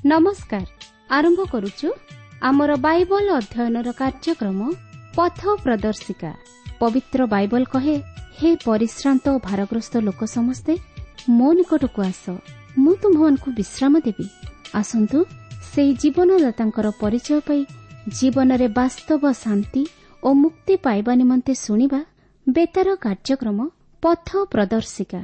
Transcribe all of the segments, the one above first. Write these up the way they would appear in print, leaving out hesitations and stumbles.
ନମସ୍କାର। ଆରମ୍ଭ କରୁଛୁ ଆମର ବାଇବଲ ଅଧ୍ୟୟନର କାର୍ଯ୍ୟକ୍ରମ ପଥ ପ୍ରଦର୍ଶିକା। ପବିତ୍ର ବାଇବଲ କହେ, ହେ ପରିଶ୍ରାନ୍ତ ଓ ଭାରଗ୍ରସ୍ତ ଲୋକ ସମସ୍ତେ ମୋ ନିକଟକୁ ଆସ, ମୁଁ ତୁମ୍ଭମାନଙ୍କୁ ବିଶ୍ରାମ ଦେବି। ଆସନ୍ତୁ ସେହି ଜୀବନଦାତାଙ୍କର ପରିଚୟ ପାଇ ଜୀବନରେ ବାସ୍ତବ ଶାନ୍ତି ଓ ମୁକ୍ତି ପାଇବା ନିମନ୍ତେ ଶୁଣିବା ବେତାର କାର୍ଯ୍ୟକ୍ରମ ପଥ ପ୍ରଦର୍ଶିକା।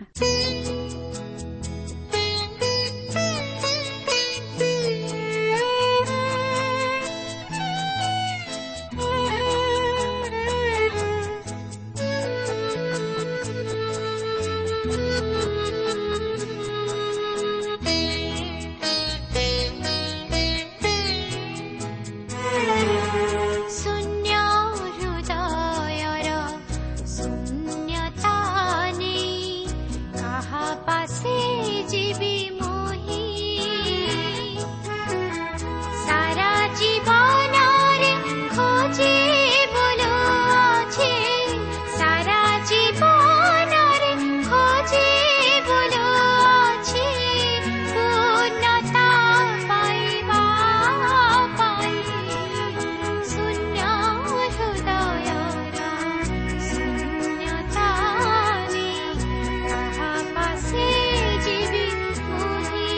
ଶୂନ୍ୟ ହୃଦୟର ଶୂନ୍ୟତା ନେଇ କାହା ପାଶେ ଯିବି ମୁହିଁ? ସାରା ଜୀବନରେ ଖୋଜି ବୁଲୁଅଛି, ସାରା ଜୀବନରେ ଖୋଜି ବୁଲୁଅଛି ପୂର୍ଣ୍ଣତା ପାଇବା ପାଇଁ। ଶୂନ୍ୟ ହୃଦୟର ଶୂନ୍ୟତା ନେଇ କାହା ପାଶେ ଯିବି ମୁହିଁ?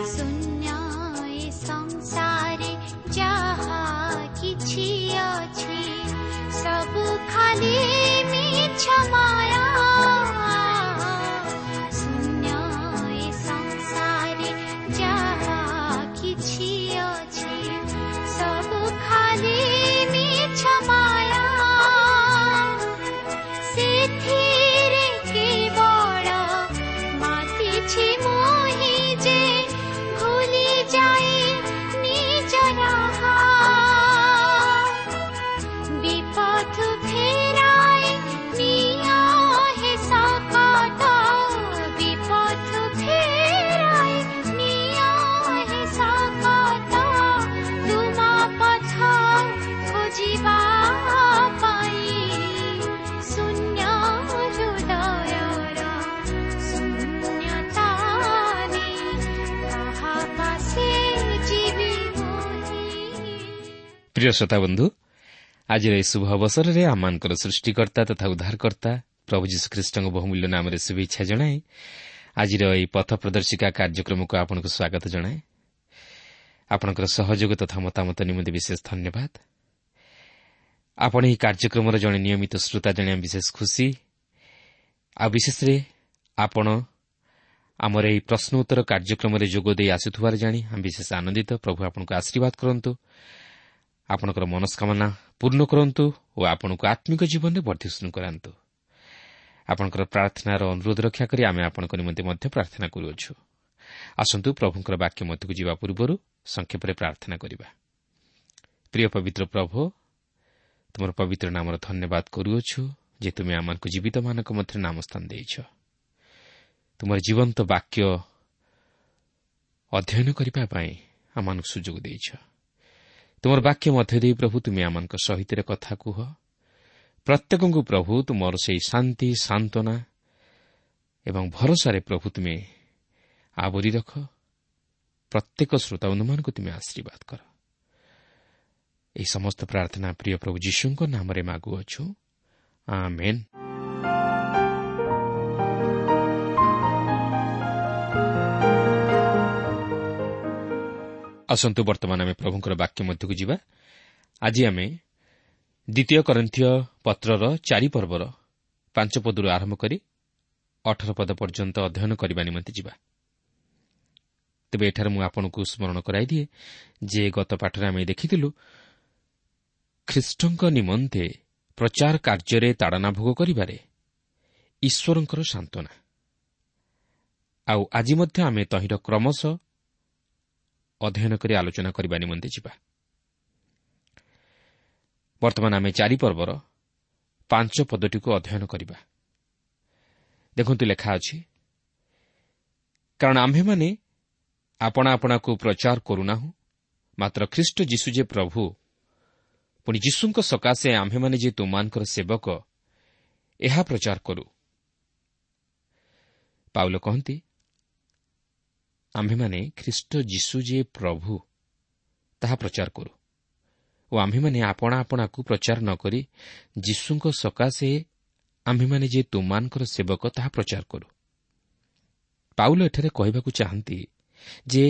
ଶୂନ୍ୟ ଏ ସଂସାରେ ଯାହା କିଛି ଅଛି, ସବୁ ଖାଲି ମିଛ ମାୟା। ଶୂନ୍ୟ ଏ ସଂସାରେ ଯାହା କିଛି ଅଛି, ସବୁ ଖାଲି ମିଛ ମାୟା। ସେଥିରେ କେବଳ ମାତିଛି ମୋହି ଯେ ଭୁଲି ଯାଇ ନିଜ ରାହା। ବିପଥ ଫେରାଇ ନିଅ ହେ ସକଟ, ବିପଥ ଫେରାଇ ନିଅ ହେ ସକଟ, ତୁମ ପଥ ଖୋଜିବା ପାଇଁ। ଶୂନ୍ୟ ହୃଦୟର ଶୂନ୍ୟତା ନେଇ କାହା ପାଶେ ଯିବି ମୁହିଁ? ପ୍ରିୟ ଶ୍ରୋତାବନ୍ଧୁ, ଆଜିର ଏହି ଶୁଭ ଅବସରରେ ଆମମାନଙ୍କର ସୃଷ୍ଟିକର୍ତ୍ତା ତଥା ଉଦ୍ଧାରକର୍ତ୍ତା ପ୍ରଭୁ ଯୀଶୁଖ୍ରୀଷ୍ଟଙ୍କ ବହୁମୂଲ୍ୟ ନାମରେ ଶୁଭେଚ୍ଛା ଜଣାଇ ଆଜିର ଏହି ପଥ ପ୍ରଦର୍ଶିକା କାର୍ଯ୍ୟକ୍ରମକୁ ଆପଣଙ୍କୁ ସ୍ୱାଗତ ଜଣାଏ। ଆପଣଙ୍କର ସହଯୋଗ ତଥା ମତାମତ ନିମନ୍ତେ ବିଶେଷ ଧନ୍ୟବାଦ। ଆପଣ ଏହି କାର୍ଯ୍ୟକ୍ରମର ଜଣେ ନିୟମିତ ଶ୍ରୋତା ଜାଣି ଆମେ ବିଶେଷ ଖୁସି। ଆଉ ବିଶେଷରେ ଆପଣ ଆମର ଏହି ପ୍ରଶ୍ନ ଉତ୍ତର କାର୍ଯ୍ୟକ୍ରମରେ ଯୋଗ ଦେଇ ଆସୁଥିବାର ଜାଣି ଆମେ ବିଶେଷ ଆନନ୍ଦିତ। ପ୍ରଭୁ ଆପଣଙ୍କୁ ଆଶୀର୍ବାଦ କରନ୍ତୁ, ଆପଣଙ୍କର ମନସ୍କାମନା ପୂର୍ଣ୍ଣ କରନ୍ତୁ ଓ ଆପଣଙ୍କୁ ଆତ୍ମିକ ଜୀବନରେ ବର୍ଦ୍ଧିଷ୍ଣୁ କରାନ୍ତୁ। ଆପଣଙ୍କର ପ୍ରାର୍ଥନାର ଅନୁରୋଧ ରକ୍ଷା କରି ଆମେ ଆପଣଙ୍କ ନିମନ୍ତେ ମଧ୍ୟ ପ୍ରାର୍ଥନା କରୁଅଛୁ। ଆସନ୍ତୁ ପ୍ରଭୁଙ୍କର ବାକ୍ୟ ମଧ୍ୟକୁ ଯିବା ପୂର୍ବରୁ ସଂକ୍ଷେପରେ ପ୍ରାର୍ଥନା କରିବା। ପ୍ରିୟ ପବିତ୍ର ପ୍ରଭୁ, ତୁମର ପବିତ୍ର ନାମର ଧନ୍ୟବାଦ କରୁଅଛୁ ଯେ ତୁମେ ଆମମାନଙ୍କୁ ଜୀବିତମାନଙ୍କ ମଧ୍ୟରେ ନାମ ସ୍ଥାନ ଦେଇଛ। ତୁମର ଜୀବନ୍ତ ବାକ୍ୟ ଅଧ୍ୟୟନ କରିବା ପାଇଁ ଆମମାନଙ୍କୁ ସୁଯୋଗ ଦେଇଛ। ତୁମର ବାକ୍ୟ ମଧ୍ୟ ଦେଇ ପ୍ରଭୁ ତୁମେ ଆମମାନଙ୍କ ସହିତ କଥା କୁହ। ପ୍ରତ୍ୟେକଙ୍କୁ ପ୍ରଭୁ ତୁମର ସେହି ଶାନ୍ତି, ସାନ୍ତ୍ୱନା ଏବଂ ଭରସାରେ ପ୍ରଭୁ ତୁମେ ଆବୋରି ରଖ। ପ୍ରତ୍ୟେକ ଶ୍ରୋତାବନ୍ଧୁମାନଙ୍କୁ ତୁମେ ଆଶୀର୍ବାଦ କର। ଏହି ସମସ୍ତ ପ୍ରାର୍ଥନା ପ୍ରିୟ ପ୍ରଭୁ ଯୀଶୁଙ୍କ ନାମରେ ମାଗୁଅଛୁ, ଆମେନ୍। ଆସନ୍ତୁ ବର୍ତ୍ତମାନ ଆମେ ପ୍ରଭୁଙ୍କର ବାକ୍ୟ ମଧ୍ୟକୁ ଯିବା। ଆଜି ଆମେ ଦ୍ୱିତୀୟ କରିନ୍ଥୀୟ ପତ୍ରର 4 ପର୍ବର 5 ପଦରୁ ଆରମ୍ଭ କରି 18 ପଦ ପର୍ଯ୍ୟନ୍ତ ଅଧ୍ୟୟନ କରିବା ନିମନ୍ତେ ଯିବା। ତେବେ ଏଠାରେ ମୁଁ ଆପଣଙ୍କୁ ସ୍ମରଣ କରାଇଦିଏ ଯେ ଗତ ପାଠରେ ଆମେ ଦେଖିଥିଲୁ ଖ୍ରୀଷ୍ଟଙ୍କ ନିମନ୍ତେ ପ୍ରଚାର କାର୍ଯ୍ୟରେ ତାଡ଼ନା ଭୋଗ କରିବାରେ ଈଶ୍ୱରଙ୍କର ସାନ୍ତ୍ୱନା। ଆଉ ଆଜି ମଧ୍ୟ ଆମେ ତହିଁର କ୍ରମଶଃ ଅଧ୍ୟୟନ କରି ଆଲୋଚନା କରିବା ନିମନ୍ତେ ଯିବା। ବର୍ତ୍ତମାନ ଆମେ 4 ପର୍ବର 5 ପଦଟିକୁ ଅଧ୍ୟୟନ କରିବା। ଦେଖନ୍ତୁ ଲେଖା ଅଛି, କାରଣ ଆମ୍ଭେମାନେ ଆପଣା ଆପଣାକୁ ପ୍ରଚାର କରୁନାହୁଁ, ମାତ୍ର ଖ୍ରୀଷ୍ଟ ଯୀଶୁ ଯେ ପ୍ରଭୁ, ପୁଣି ଯୀଶୁଙ୍କ ସକାଶେ ଆମ୍ଭେମାନେ ଯେ ତୁମମାନଙ୍କର ସେବକ, ଏହା ପ୍ରଚାର କରୁ। ପାଉଲ କହନ୍ତି, ଆମ୍ଭେମାନେ ଖ୍ରୀଷ୍ଟ ଯୀଶୁ ଯେ ପ୍ରଭୁ ତାହା ପ୍ରଚାର କରୁ ଓ ଆମ୍ଭେମାନେ ଆପଣା ଆପଣାକୁ ପ୍ରଚାର ନ କରି ଯୀଶୁଙ୍କ ସକାଶେ ଆମ୍ଭେମାନେ ଯେ ତୁମମାନଙ୍କର ସେବକ ତାହା ପ୍ରଚାର କରୁ। ପାଉଲ ଏଠାରେ କହିବାକୁ ଚାହାନ୍ତି ଯେ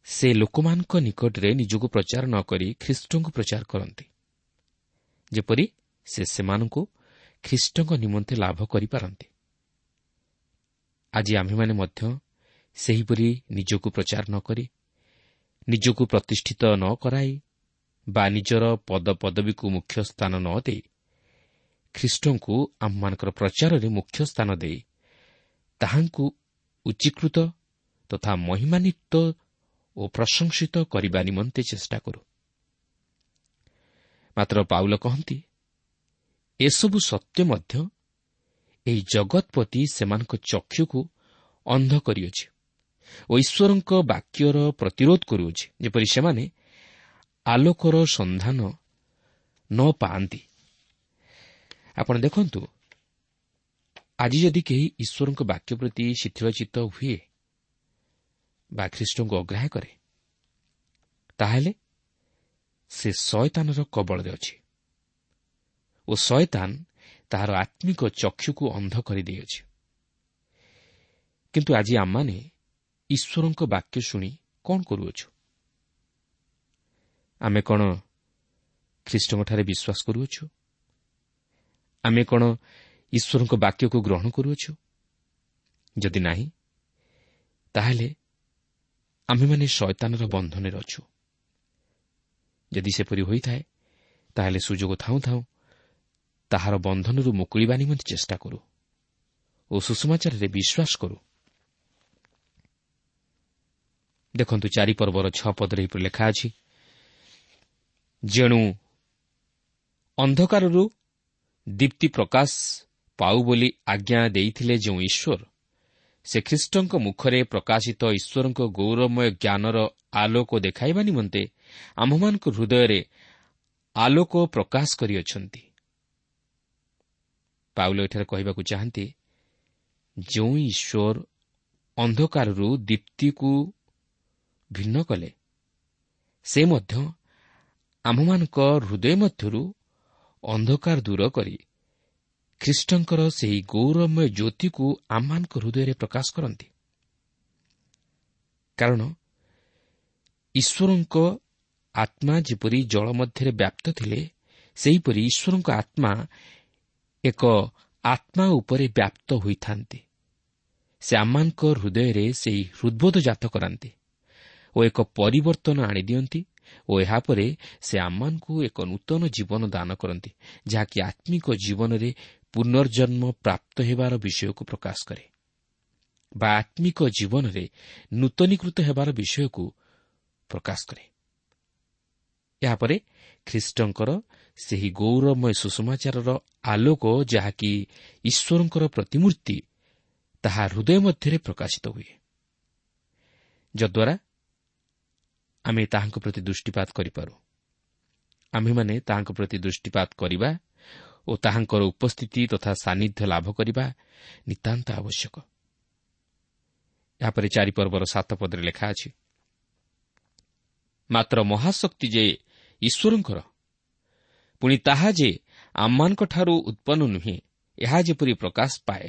ସେ ଲୋକମାନଙ୍କ ନିକଟରେ ନିଜକୁ ପ୍ରଚାର ନ କରି ଖ୍ରୀଷ୍ଟଙ୍କୁ ପ୍ରଚାର କରନ୍ତି, ଯେପରି ସେ ସେମାନଙ୍କୁ ଖ୍ରୀଷ୍ଟଙ୍କ ନିମନ୍ତେ ଲାଭ କରିପାରନ୍ତି। ଆଜି ଆମ୍ଭେମାନେ ମଧ୍ୟ ସେହିପରି ନିଜକୁ ପ୍ରଚାର ନ କରି, ନିଜକୁ ପ୍ରତିଷ୍ଠିତ ନ କରାଇ ବା ନିଜର ପଦପଦବୀକୁ ମୁଖ୍ୟ ସ୍ଥାନ ନ ଦେଇ ଖ୍ରୀଷ୍ଟଙ୍କୁ ଆମମାନଙ୍କର ପ୍ରଚାରରେ ମୁଖ୍ୟ ସ୍ଥାନ ଦେଇ ତାହାଙ୍କୁ ଉଚ୍ଚୀକୃତ ତଥା ମହିମାନ୍ୱିତ ଓ ପ୍ରଶଂସିତ କରିବା ନିମନ୍ତେ ଚେଷ୍ଟା କରୁ। ମାତ୍ର ପାଉଲ କହନ୍ତି, ଏସବୁ ସତ୍ତ୍ୱେ ମଧ୍ୟ ଏହି ଜଗତପତି ସେମାନଙ୍କ ଚକ୍ଷୁକୁ ଅନ୍ଧ କରିଅଛି ଓ ଈଶ୍ୱରଙ୍କ ବାକ୍ୟର ପ୍ରତିରୋଧ କରୁଅଛି, ଯେପରି ସେମାନେ ଆଲୋକର ସନ୍ଧାନ ନ ପାଆନ୍ତି। ଆପଣ ଦେଖନ୍ତୁ, ଆଜି ଯଦି କେହି ଈଶ୍ୱରଙ୍କ ବାକ୍ୟ ପ୍ରତି ଶିଥିଳଚିତ୍ତ ହୁଏ ବା ଖ୍ରୀଷ୍ଟଙ୍କୁ ଅଗ୍ରାହ୍ୟ କରେ, ତାହେଲେ ସେ ଶୟତାନର କବଳରେ ଅଛି ଓ ଶୟତାନ ତାହାର ଆତ୍ମିକ ଚକ୍ଷୁକୁ ଅନ୍ଧ କରିଦେଇଅଛି। କିନ୍ତୁ ଆଜି ଆମମାନେ ଈଶ୍ୱରଙ୍କ ବାକ୍ୟ ଶୁଣି କ'ଣ କରୁଅଛୁ? ଆମେ କ'ଣ ଖ୍ରୀଷ୍ଟଙ୍କଠାରେ ବିଶ୍ୱାସ କରୁଅଛୁ? ଆମେ କ'ଣ ଈଶ୍ୱରଙ୍କ ବାକ୍ୟକୁ ଗ୍ରହଣ କରୁଅଛୁ? ଯଦି ନାହିଁ, ତାହେଲେ ଆମ୍ଭେମାନେ ଶୟତାନର ବନ୍ଧନରେ ଅଛୁ। ଯଦି ସେପରି ହୋଇଥାଏ, ତାହେଲେ ସୁଯୋଗ ଥାଉଁ ଥାଉଁ ତାହାର ବନ୍ଧନରୁ ମୁକୁଳିବା ନିମନ୍ତେ ଚେଷ୍ଟା କରୁ ଓ ସୁସମାଚାରରେ ବିଶ୍ୱାସ କରୁ। ଦେଖନ୍ତୁ 4 ପର୍ବର 6 ପଦରେ ଏହିପରି ଲେଖା ଅଛି, ଯେଣୁ ଅନ୍ଧକାରରୁ ଦୀପ୍ତି ପ୍ରକାଶ ପାଉ ବୋଲି ଆଜ୍ଞା ଦେଇଥିଲେ ଯେଉଁ ଈଶ୍ୱର, ସେ ଖ୍ରୀଷ୍ଟଙ୍କ ମୁଖରେ ପ୍ରକାଶିତ ଈଶ୍ୱରଙ୍କ ଗୌରବମୟ ଜ୍ଞାନର ଆଲୋକ ଦେଖାଇବା ନିମନ୍ତେ ଆମ୍ଭମାନଙ୍କ ହୃଦୟରେ ଆଲୋକ ପ୍ରକାଶ କରିଅଛନ୍ତି। ପାଉଲ ଏଠାରେ କହିବାକୁ ଚାହାନ୍ତି, ଯେଉଁ ଈଶ୍ୱର ଅନ୍ଧକାରରୁ ଦୀପ୍ତିକୁ ଭିନ୍ନ କଲେ, ସେ ମଧ୍ୟ ଆମ୍ଭମାନଙ୍କ ହୃଦୟ ମଧ୍ୟରୁ ଅନ୍ଧକାର ଦୂର କରି ଖ୍ରୀଷ୍ଟଙ୍କର ସେହି ଗୌରବମୟ ଜ୍ୟୋତିକୁ ଆମମାନଙ୍କ ହୃଦୟରେ ପ୍ରକାଶ କରନ୍ତି। କାରଣ ଈଶ୍ୱରଙ୍କ ଆତ୍ମା ଯେପରି ଜଳ ମଧ୍ୟରେ ବ୍ୟାପ୍ତ ଥିଲେ, ସେହିପରି ଈଶ୍ୱରଙ୍କ ଆତ୍ମା ଏକ ଆତ୍ମା ଉପରେ ବ୍ୟାପ୍ତ ହୋଇଥାନ୍ତି। ସେ ଆମମାନଙ୍କ ହୃଦୟରେ ସେହି ହୃଦ୍ବୋଧ ଜାତ କରାନ୍ତି ଓ ଏକ ପରିବର୍ତ୍ତନ ଆଣିଦିଅନ୍ତି ଓ ଏହାପରେ ସେ ଆମମାନଙ୍କୁ ଏକ ନୂତନ ଜୀବନ ଦାନ କରନ୍ତି, ଯାହାକି ଆତ୍ମିକ ଜୀବନରେ ପୁନର୍ଜନ୍ମ ପ୍ରାପ୍ତ ହେବାର ବିଷୟକୁ ପ୍ରକାଶ କରେ ବା ଆତ୍ମିକ ଜୀବନରେ ନୂତନୀକୃତ ହେବାର ବିଷୟକୁ ପ୍ରକାଶ କରେ। ଏହାପରେ ଖ୍ରୀଷ୍ଟଙ୍କର ସେହି ଗୌରବମୟ ସୁସମାଚାରର ଆଲୋକ, ଯାହାକି ଈଶ୍ୱରଙ୍କର ପ୍ରତିମୂର୍ତ୍ତି, ତାହା ହୃଦୟ ମଧ୍ୟରେ ପ୍ରକାଶିତ ହୁଏ, ଯଦ୍ୱାରା ଆମେ ତାହାଙ୍କ ପ୍ରତି ଦୃଷ୍ଟିପାତ କରିପାରୁ। ଆମ୍ଭେମାନେ ତାହାଙ୍କ ପ୍ରତି ଦୃଷ୍ଟିପାତ କରିବା ଓ ତାହାଙ୍କର ଉପସ୍ଥିତି ତଥା ସାନ୍ନିଧ୍ୟ ଲାଭ କରିବା ନିତାନ୍ତ ଆବଶ୍ୟକ। ଏହାପରେ 4 ପର୍ବର 7 ପଦରେ ଲେଖା ଅଛି, ମାତ୍ର ମହାଶକ୍ତି ଯେ ଈଶ୍ୱରଙ୍କର, ପୁଣି ତାହା ଯେ ଆମମାନଙ୍କଠାରୁ ଉତ୍ପନ୍ନ ନୁହେଁ, ଏହା ଯେପରି ପ୍ରକାଶ ପାଏ,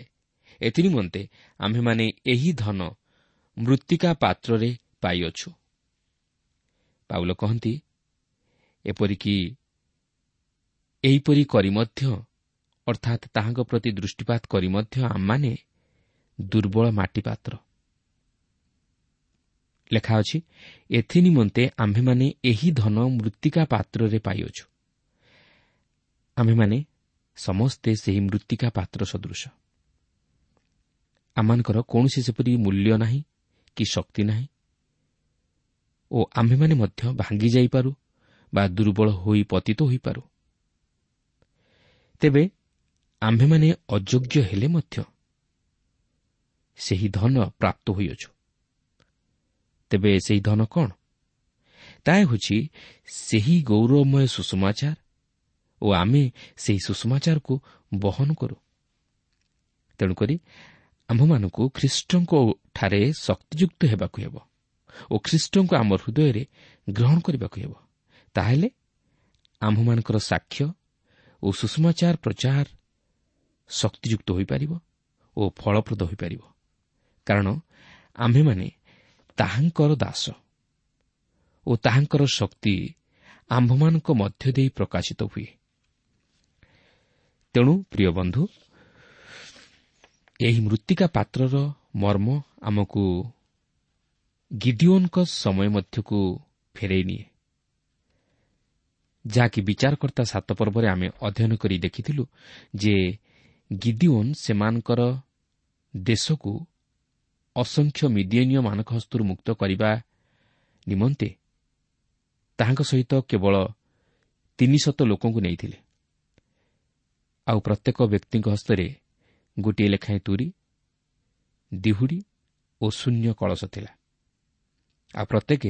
ଏଥିନିମନ୍ତେ ଆମ୍ଭେମାନେ ଏହି ଧନ ମୃତ୍ତିକା ପାତ୍ରରେ ପାଇଅଛୁ। ପାଉଲ କହନ୍ତି, ଏପରିକି ଏହିପରି କରି ମଧ୍ୟ, ଅର୍ଥାତ୍ ତାହାଙ୍କ ପ୍ରତି ଦୃଷ୍ଟିପାତ କରି ମଧ୍ୟ ଆମମାନେ ଦୁର୍ବଳ ମାଟିପାତ୍ର। ଲେଖା ଅଛି, ଏଥିନିମନ୍ତେ ଆମ୍ଭେମାନେ ଏହି ଧନ ମୃତ୍ତିକା ପାତ୍ରରେ ପାଇଅଛୁ। ଆମ୍ଭେମାନେ ସମସ୍ତେ ସେହି ମୃତ୍ତିକା ପାତ୍ର ସଦୃଶ। ଆମମାନଙ୍କର କୌଣସି ସେପରି ମୂଲ୍ୟ ନାହିଁ କି ଶକ୍ତି ନାହିଁ ଓ ଆମ୍ଭେମାନେ ମଧ୍ୟ ଭାଙ୍ଗି ଯାଇପାରୁ ବା ଦୁର୍ବଳ ହୋଇ ପତିତ ହୋଇପାରୁ। ତେବେ ଆମ୍ଭେମାନେ ଅଯୋଗ୍ୟ ହେଲେ ମଧ୍ୟ ସେହି ଧନ ପ୍ରାପ୍ତ ହୋଇଅଛୁ। ତେବେ ସେହି ଧନ କ'ଣ? ତାହା ହେଉଛି ସେହି ଗୌରବମୟ ସୁସମାଚାର ଓ ଆମେ ସେହି ସୁସମାଚାରକୁ ବହନ କରୁ। ତେଣୁକରି ଆମ୍ଭମାନଙ୍କୁ ଖ୍ରୀଷ୍ଟଙ୍କ ଠାରେ ଶକ୍ତିଯୁକ୍ତ ହେବାକୁ ହେବ ଓ ଖ୍ରୀଷ୍ଟଙ୍କୁ ଆମ ହୃଦୟରେ ଗ୍ରହଣ କରିବାକୁ ହେବ। ତାହେଲେ ଆମ୍ଭମାନଙ୍କର ସାକ୍ଷ୍ୟ ଓ ସୁସମାଚାର ପ୍ରଚାର ଶକ୍ତିଯୁକ୍ତ ହୋଇପାରିବ ଓ ଫଳପ୍ରଦ ହୋଇପାରିବ, କାରଣ ଆମ୍ଭେମାନେ ତାହାଙ୍କର ଦାସ ଓ ତାହାଙ୍କର ଶକ୍ତି ଆମ୍ଭମାନଙ୍କ ମଧ୍ୟ ଦେଇ ପ୍ରକାଶିତ ହୁଏ। ତେଣୁ ପ୍ରିୟ ବନ୍ଧୁ, ଏହି ମୃତ୍ତିକା ପାତ୍ରର ମର୍ମ ଆମକୁ ଗିଦିଓନଙ୍କ ସମୟ ମଧ୍ୟକୁ ଫେରାଇ ନିଏ, ଯାହାକି ବିଚାରକର୍ତ୍ତା 7 ପର୍ବରେ ଆମେ ଅଧ୍ୟୟନ କରି ଦେଖିଥିଲୁ ଯେ ଗିଦିଓନ ସେମାନଙ୍କର ଦେଶକୁ ଅସଂଖ୍ୟ ମିଦିୟନୀୟମାନଙ୍କ ହସ୍ତରୁ ମୁକ୍ତ କରିବା ନିମନ୍ତେ ତାହାଙ୍କ ସହିତ କେବଳ 300 ଲୋକଙ୍କୁ ନେଇଥିଲେ। ଆଉ ପ୍ରତ୍ୟେକ ବ୍ୟକ୍ତିଙ୍କ ହସ୍ତରେ ଗୋଟିଏ ଲେଖାଏଁ ତୁରୀ, ଦିହୁଡ଼ି ଓ ଶୂନ୍ୟ କଳସ ଥିଲା। ଆଉ ପ୍ରତ୍ୟେକ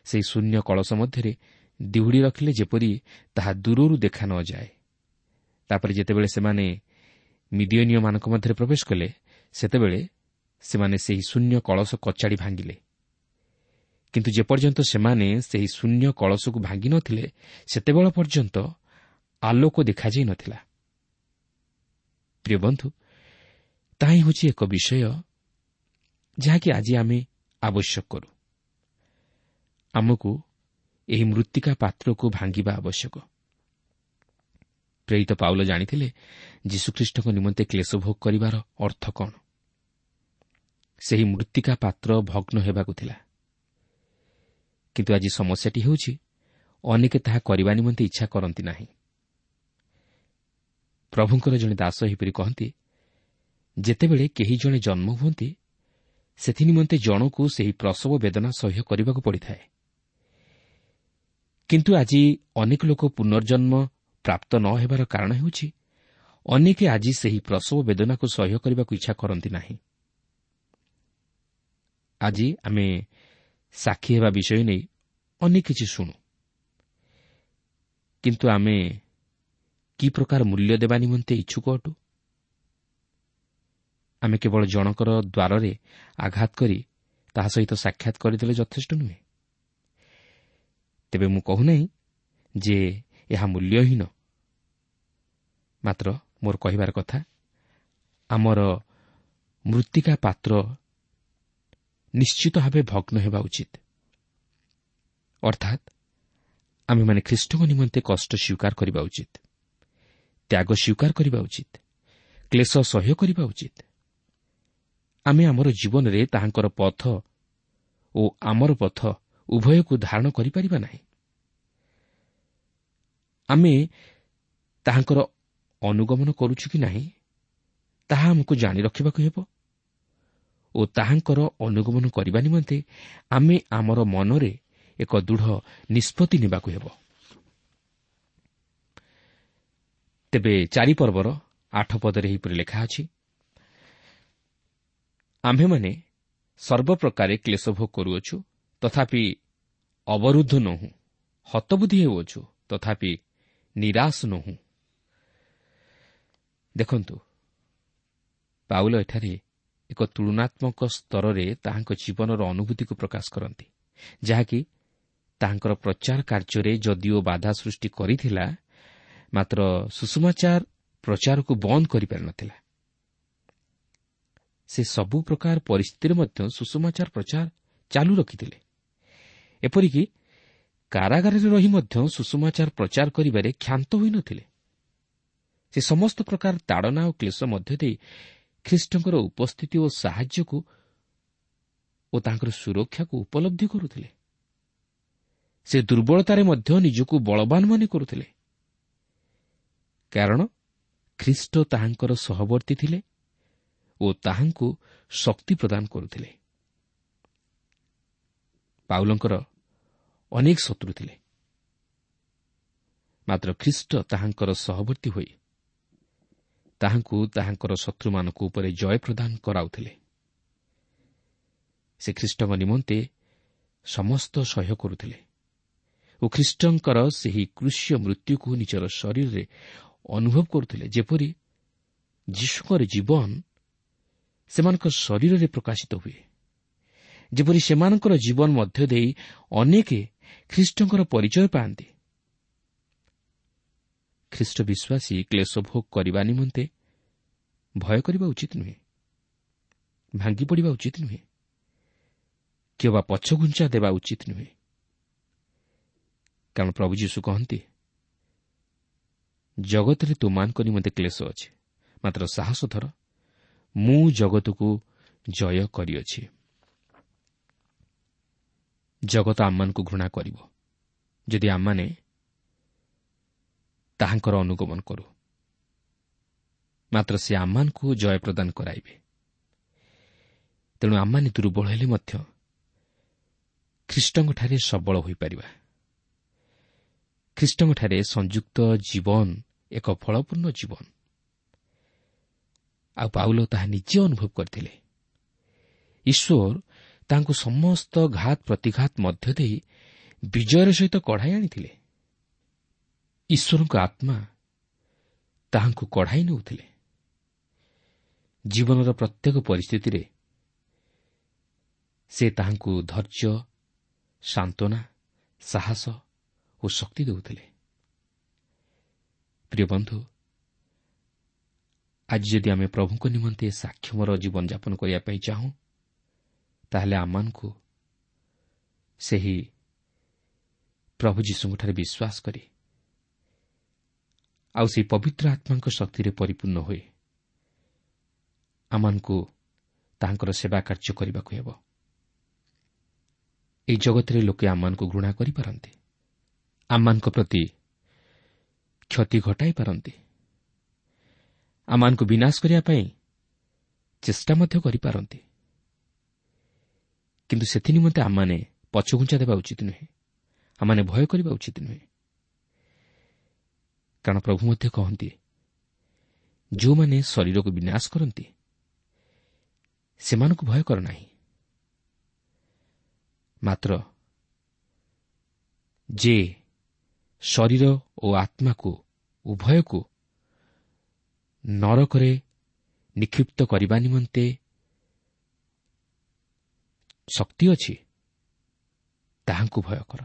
ସେହି ଶୂନ୍ୟ କଳସ ମଧ୍ୟରେ ଦିହୁଡ଼ି ରଖିଲେ, ଯେପରି ତାହା ଦୂରରୁ ଦେଖା ନଯାଏ। ତାପରେ ଯେତେବେଳେ ସେମାନେ ମିଦିୟନୀୟମାନଙ୍କ ମଧ୍ୟରେ ପ୍ରବେଶ କଲେ, ସେତେବେଳେ ସେମାନେ ସେହି ଶୂନ୍ୟ କଳସ କଚାଡ଼ି ଭାଙ୍ଗିଲେ। କିନ୍ତୁ ଯେପର୍ଯ୍ୟନ୍ତ ସେମାନେ ସେହି ଶୂନ୍ୟ କଳସକୁ ଭାଙ୍ଗି ନଥିଲେ, ସେତେବେଳ ପର୍ଯ୍ୟନ୍ତ ଆଲୋକ ଦେଖାଯାଇ ନଥିଲା। ପ୍ରିୟ ବନ୍ଧୁ, ତାହା ହେଉଛି ଏକ ବିଷୟ ଯାହାକି ଆଜି ଆମେ ଆବଶ୍ୟକ କରୁ। ଆମକୁ ଏହି ମୃତ୍ତିକା ପାତ୍ରକୁ ଭାଙ୍ଗିବା ଆବଶ୍ୟକ। ପ୍ରେରିତ ପାଉଲ ଜାଣିଥିଲେ ଯୀଶୁଖ୍ରୀଷ୍ଟଙ୍କ ନିମନ୍ତେ କ୍ଲେଶ ଭୋଗ କରିବାର ଅର୍ଥ କ'ଣ। ସେହି ମୃତ୍ତିକା ପାତ୍ର ଭଗ୍ନ ହେବାକୁ ଥିଲା, କିନ୍ତୁ ଆଜି ସମସ୍ୟାଟି ହେଉଛି ଅନେକେ ତାହା କରିବା ନିମନ୍ତେ ଇଚ୍ଛା କରନ୍ତି ନାହିଁ। ପ୍ରଭୁଙ୍କର ଜଣେ ଦାସ ଏହିପରି କହନ୍ତି, ଯେତେବେଳେ କେହି ଜଣେ ଜନ୍ମ ହୁଅନ୍ତି, ସେଥିନିମନ୍ତେ ଜଣକୁ ସେହି ପ୍ରସବ ବେଦନା ସହ୍ୟ କରିବାକୁ ପଡ଼ିଥାଏ। କିନ୍ତୁ ଆଜି ଅନେକ ଲୋକ ପୁନର୍ଜନ୍ମ ପ୍ରାପ୍ତ ନ ହେବାର କାରଣ ହେଉଛି ଅନେକ ଆଜି ସେହି ପ୍ରସବ ବେଦନାକୁ ସହ୍ୟ କରିବାକୁ ଇଚ୍ଛା କରନ୍ତି ନାହିଁ। ଆଜି ଆମେ ସାକ୍ଷୀ ହେବା ବିଷୟ ନେଇ ଅନେକ କିଛି ଶୁଣୁ, କିନ୍ତୁ ଆମେ କି ପ୍ରକାର ମୂଲ୍ୟ ଦେବା ନିମନ୍ତେ ଇଚ୍ଛୁକ ଅଟୁ? ଆମେ କେବଳ ଜଣଙ୍କର ଦ୍ୱାରରେ ଆଘାତ କରି ତାହା ସହିତ ସାକ୍ଷାତ କରିଦେଲେ ଯଥେଷ୍ଟ ନୁହେଁ। ତେବେ ମୁଁ କହୁନାହିଁ ଯେ ଏହା ମୂଲ୍ୟହୀନ, ମାତ୍ର ମୋର କହିବାର କଥା, ଆମର ମୃତ୍ତିକା ପାତ୍ର ନିଶ୍ଚିତ ଭାବେ ଭଗ୍ନ ହେବା ଉଚିତ। ଅର୍ଥାତ୍ ଆମେମାନେ ଖ୍ରୀଷ୍ଟଙ୍କ ନିମନ୍ତେ କଷ୍ଟ ସ୍ୱୀକାର କରିବା ଉଚିତ, ତ୍ୟାଗ ସ୍ୱୀକାର କରିବା ଉଚିତ, କ୍ଲେଶ ସହ୍ୟ କରିବା ଉଚିତ। ଆମେ ଆମର ଜୀବନରେ ତାହାଙ୍କର ପଥ ଓ ଆମର ପଥ ଉଭୟକୁ ଧାରଣ କରିପାରିବା ନାହିଁ। ଆମେ ତାହାଙ୍କର ଅନୁଗମନ କରୁଛୁ କି ନାହିଁ ତାହା ଆମକୁ ଜାଣି ରଖିବାକୁ ହେବ ଓ ତାହାଙ୍କର ଅନୁଗମନ କରିବା ନିମନ୍ତେ ଆମେ ଆମର ମନରେ ଏକ ଦୃଢ଼ ନିଷ୍ପତ୍ତି ନେବାକୁ ହେବ। ତେବେ 4 ପର୍ବର 8 ପଦରେ ଏହିପରି ଲେଖା ଅଛି, ଆମ୍ଭେମାନେ ସର୍ବପ୍ରକାରେ କ୍ଲେଶ ଭୋଗ କରୁଅଛୁ, ତଥାପି ଅବରୁଦ୍ଧ ନୋହୁଁ, ହତବୁଦ୍ଧି ହେଉଅଛୁ, ତଥାପି ନିରାଶ ନୋହୁଁ। ଦେଖନ୍ତୁ, ପାଉଲ ଏଠାରେ ଏକ ତୁଳନାତ୍ମକ ସ୍ତରରେ ତାହାଙ୍କ ଜୀବନର ଅନୁଭୂତିକୁ ପ୍ରକାଶ କରନ୍ତି, ଯାହାକି ତାହାଙ୍କର ପ୍ରଚାର କାର୍ଯ୍ୟରେ ଯଦିଓ ବାଧା ସୃଷ୍ଟି କରିଥିଲା, ମାତ୍ର ସୁସମାଚାର ପ୍ରଚାରକୁ ବନ୍ଦ କରିପାରିନଥିଲା। ସେ ସବୁ ପ୍ରକାର ପରିସ୍ଥିତିରେ ମଧ୍ୟ ସୁସମାଚାର ପ୍ରଚାର ଚାଲୁ ରଖିଥିଲେ। ଏପରିକି କାରାଗାରରେ ରହି ମଧ୍ୟ ସୁସମାଚାର ପ୍ରଚାର କରିବାରେ କ୍ଷାନ୍ତ ହୋଇନଥିଲେ। ସେ ସମସ୍ତ ପ୍ରକାର ତାଡ଼ନା ଓ କ୍ଲେଶ ମଧ୍ୟ ଦେଇ ଖ୍ରୀଷ୍ଟଙ୍କର ଉପସ୍ଥିତି ଓ ସାହାଯ୍ୟକୁ ଓ ତାଙ୍କର ସୁରକ୍ଷାକୁ ଉପଲବ୍ଧି କରୁଥିଲେ। ସେ ଦୁର୍ବଳତାରେ ମଧ୍ୟ ନିଜକୁ ବଳବାନ ମନେ କରୁଥିଲେ, କାରଣ ଖ୍ରୀଷ୍ଟ ତାହାଙ୍କର ସହବର୍ତ୍ତୀ ଥିଲେ ଓ ତାହାଙ୍କୁ ଶକ୍ତି ପ୍ରଦାନ କରୁଥିଲେ। ପାଉଲଙ୍କର ଅନେକ ଶତ୍ରୁ ଥିଲେ, ମାତ୍ର ଖ୍ରୀଷ୍ଟ ତାହାଙ୍କର ସହବର୍ତ୍ତୀ ହୋଇ ତାହାଙ୍କୁ ତାହାଙ୍କର ଶତ୍ରୁମାନଙ୍କ ଉପରେ ଜୟ ପ୍ରଦାନ କରାଉଥିଲେ। ସେ ଖ୍ରୀଷ୍ଟଙ୍କ ନିମନ୍ତେ ସମସ୍ତ ସହ୍ୟ କରୁଥିଲେ ଓ ଖ୍ରୀଷ୍ଟଙ୍କର ସେହି କୃଷ୍ୟ ମୃତ୍ୟୁକୁ ନିଜର ଶରୀରରେ ଅନୁଭବ କରୁଥିଲେ, ଯେପରି ଯୀଶୁଙ୍କର ଜୀବନ ସେମାନଙ୍କ ଶରୀରରେ ପ୍ରକାଶିତ ହୁଏ, ଯେପରି ସେମାନଙ୍କର ଜୀବନ ମଧ୍ୟ ଦେଇ ଅନେକ ଖ୍ରୀଷ୍ଟଙ୍କର ପରିଚୟ ପାଆନ୍ତି। ଖ୍ରୀଷ୍ଟ ବିଶ୍ୱାସୀ କ୍ଲେଶ ଭୋଗ କରିବା ନିମନ୍ତେ ଭୟ କରିବା ଉଚିତ ନୁହେଁ, ଭାଙ୍ଗି ପଡ଼ିବା ଉଚିତ ନୁହେଁ କିମ୍ବା ପଛଘୁଞ୍ଚା ଦେବା ଉଚିତ ନୁହେଁ। କାରଣ ପ୍ରଭୁ ଯୀଶୁ କହନ୍ତି, ଜଗତରେ ତୁମମାନଙ୍କ ନିମନ୍ତେ କ୍ଲେଶ ଅଛି, ମାତ୍ର ସାହସ ଧର, ମୁଁ ଜଗତକୁ ଜୟ କରିଅଛି। ଜଗତ ଆମମାନଙ୍କୁ ଘୃଣା କରିବ ଯଦି ଆମମାନେ ତାହାଙ୍କର ଅନୁଗମନ କରୁ, ମାତ୍ର ସେ ଆମମାନଙ୍କୁ ଜୟ ପ୍ରଦାନ କରାଇବେ। ତେଣୁ ଆମମାନେ ଦୁର୍ବଳ ହେଲେ ମଧ୍ୟ ଖ୍ରୀଷ୍ଟଙ୍କଠାରେ ସବଳ ହୋଇପାରିବା। ଖ୍ରୀଷ୍ଟଙ୍କଠାରେ ସଂଯୁକ୍ତ ଜୀବନ ଏକ ଫଳପୂର୍ଣ୍ଣ ଜୀବନ। ଆଉ ପାଉଲ ତାହା ନିଜେ ଅନୁଭବ କରିଥିଲେ। ଈଶ୍ୱର ତାଙ୍କୁ ସମସ୍ତ ଘାତ ପ୍ରତିଘାତ ମଧ୍ୟ ଦେଇ ବିଜୟର ସହିତ କଢ଼ାଇ ଆଣିଥିଲେ। ଈଶ୍ୱରଙ୍କ ଆତ୍ମା ତାହାଙ୍କୁ କଢ଼ାଇ ନେଉଥିଲେ। ଜୀବନର ପ୍ରତ୍ୟେକ ପରିସ୍ଥିତିରେ ସେ ତାହାଙ୍କୁ ଧୈର୍ଯ୍ୟ, ସାନ୍ତ୍ୱନା, ସାହସ ଓ ଶକ୍ତି ଦେଉଥିଲେ। ପ୍ରିୟ ବନ୍ଧୁ, ଆଜି ଯଦି ଆମେ ପ୍ରଭୁଙ୍କ ନିମନ୍ତେ ସାକ୍ଷମର ଜୀବନଯାପନ କରିବା ପାଇଁ ଚାହୁଁ, ତାହେଲେ ଆମମାନଙ୍କୁ ସେହି ପ୍ରଭୁ ଯୀଶୁଙ୍କଠାରେ ବିଶ୍ୱାସ କରି ଆଉ ସେହି ପବିତ୍ର ଆତ୍ମାଙ୍କ ଶକ୍ତିରେ ପରିପୂର୍ଣ୍ଣ ହୋଇ ଆମମାନଙ୍କୁ ତାହାଙ୍କର ସେବା କାର୍ଯ୍ୟ କରିବାକୁ ହେବ। ଏହି ଜଗତରେ ଲୋକେ ଆମମାନଙ୍କୁ ଘୃଣା କରିପାରନ୍ତି, ଆମମାନଙ୍କ ପ୍ରତି କ୍ଷତି ଘଟାଇ ପାରନ୍ତି, ଆମମାନଙ୍କୁ ବିନାଶ କରିବା ପାଇଁ ଚେଷ୍ଟା ମଧ୍ୟ କରିପାରନ୍ତି, କିନ୍ତୁ ସେଥିନିମନ୍ତେ ଆମମାନେ ପଛଘୁଞ୍ଚା ଦେବା ଉଚିତ ନୁହେଁ, ଆମମାନେ ଭୟ କରିବା ଉଚିତ ନୁହେଁ। କାରଣ ପ୍ରଭୁ ମଧ୍ୟ କହନ୍ତି, ଯେଉଁମାନେ ଶରୀରକୁ ବିନାଶ କରନ୍ତି ସେମାନଙ୍କୁ ଭୟ କର ନାହିଁ, ମାତ୍ର ଯେ ଶରୀର ଓ ଆତ୍ମାକୁ ଉଭୟକୁ ନରକରେ ନିକ୍ଷିପ୍ତ କରିବା ନିମନ୍ତେ ଶକ୍ତି ଅଛି, ତାହାଙ୍କୁ ଭୟ କର।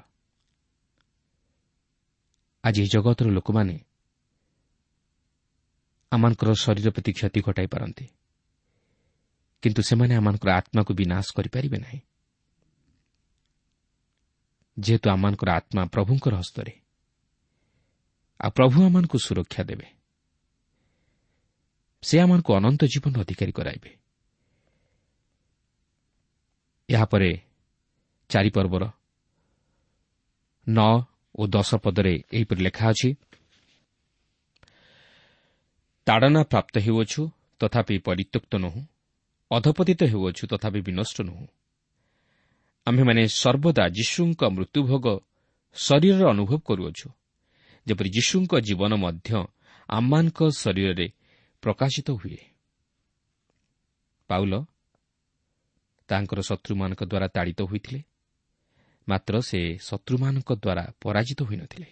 ଆଜି ଏହି ଜଗତର ଲୋକମାନେ ଆମମାନଙ୍କର ଶରୀର ପ୍ରତି କ୍ଷତି ଘଟାଇ ପାରନ୍ତି, କିନ୍ତୁ ସେମାନେ ଆମମାନଙ୍କର ଆତ୍ମାକୁ ବିନାଶ କରିପାରିବେ ନାହିଁ। ଯେହେତୁ ଆମମାନଙ୍କର ଆତ୍ମା ପ୍ରଭୁଙ୍କର ହସ୍ତରେ, ଆଉ ପ୍ରଭୁ ଆମମାନଙ୍କୁ ସୁରକ୍ଷା ଦେବେ, ସେ ଆମମାନଙ୍କୁ ଅନନ୍ତ ଜୀବନ ଅଧିକାରୀ କରାଇବେ। ଏହାପରେ 4 ପର୍ବର 9 ଓ 10 ପଦରେ ଏହିପରି ଲେଖା ଅଛି, ତାଡ଼ନା ପ୍ରାପ୍ତ ହେଉଅଛୁ ତଥାପି ପରିତ୍ୟକ୍ତ ନୋହୁଁ, ଅଧପତିତ ହେଉଅଛୁ ତଥାପି ବିନଷ୍ଟ ନୋହୁଁ। ଆମ୍ଭେମାନେ ସର୍ବଦା ଯୀଶୁଙ୍କ ମୃତ୍ୟୁଭୋଗ ଶରୀରର ଅନୁଭବ କରୁଅଛୁ, ଯେପରି ଯୀଶୁଙ୍କ ଜୀବନ ମଧ୍ୟ ଆମମାନଙ୍କ ଶରୀରରେ ପ୍ରକାଶିତ ହୁଏ। ପାଉଲ ତାଙ୍କର ଶତ୍ରୁମାନଙ୍କ ଦ୍ୱାରା ତାଡ଼ିତ ହୋଇଥିଲେ, ମାତ୍ର ସେ ଶତ୍ରୁମାନଙ୍କ ଦ୍ୱାରା ପରାଜିତ ହୋଇନଥିଲେ।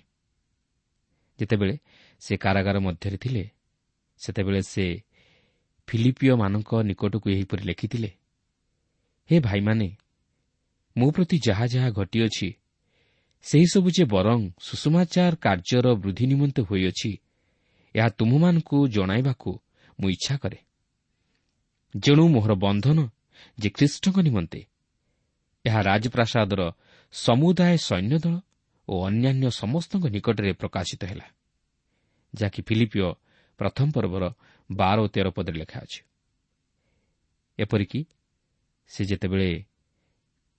ଯେତେବେଳେ ସେ କାରାଗାର ମଧ୍ୟରେ ଥିଲେ, ସେତେବେଳେ ସେ ଫିଲିପିୟମାନଙ୍କ ନିକଟକୁ ଏହିପରି ଲେଖିଥିଲେ, ହେ ଭାଇମାନେ, ମୋ ପ୍ରତି ଯାହା ଯାହା ଘଟିଅଛି ସେହିସବୁ ଯେ ବରଂ ସୁଷମାଚାର କାର୍ଯ୍ୟର ବୃଦ୍ଧି ନିମନ୍ତେ ହୋଇଅଛି, ଏହା ତୁମ୍ଭମାନଙ୍କୁ ଜଣାଇବାକୁ ମୁଁ ଇଚ୍ଛା କରେ। ଯେଣୁ ମୋହର ବନ୍ଧନ ଯେ ଖ୍ରୀଷ୍ଟଙ୍କ ନିମନ୍ତେ, ଏହା ରାଜପ୍ରାସାଦର ସମୁଦାୟ ସୈନ୍ୟଦଳ ଓ ଅନ୍ୟାନ୍ୟ ସମସ୍ତଙ୍କ ନିକଟରେ ପ୍ରକାଶିତ ହେଲା, ଯାହାକି ଫିଲିପିୟ 1 ପର୍ବର 12 ଓ 13 ପଦରେ ଲେଖା ଅଛି। ଏପରିକି ସେ ଯେତେବେଳେ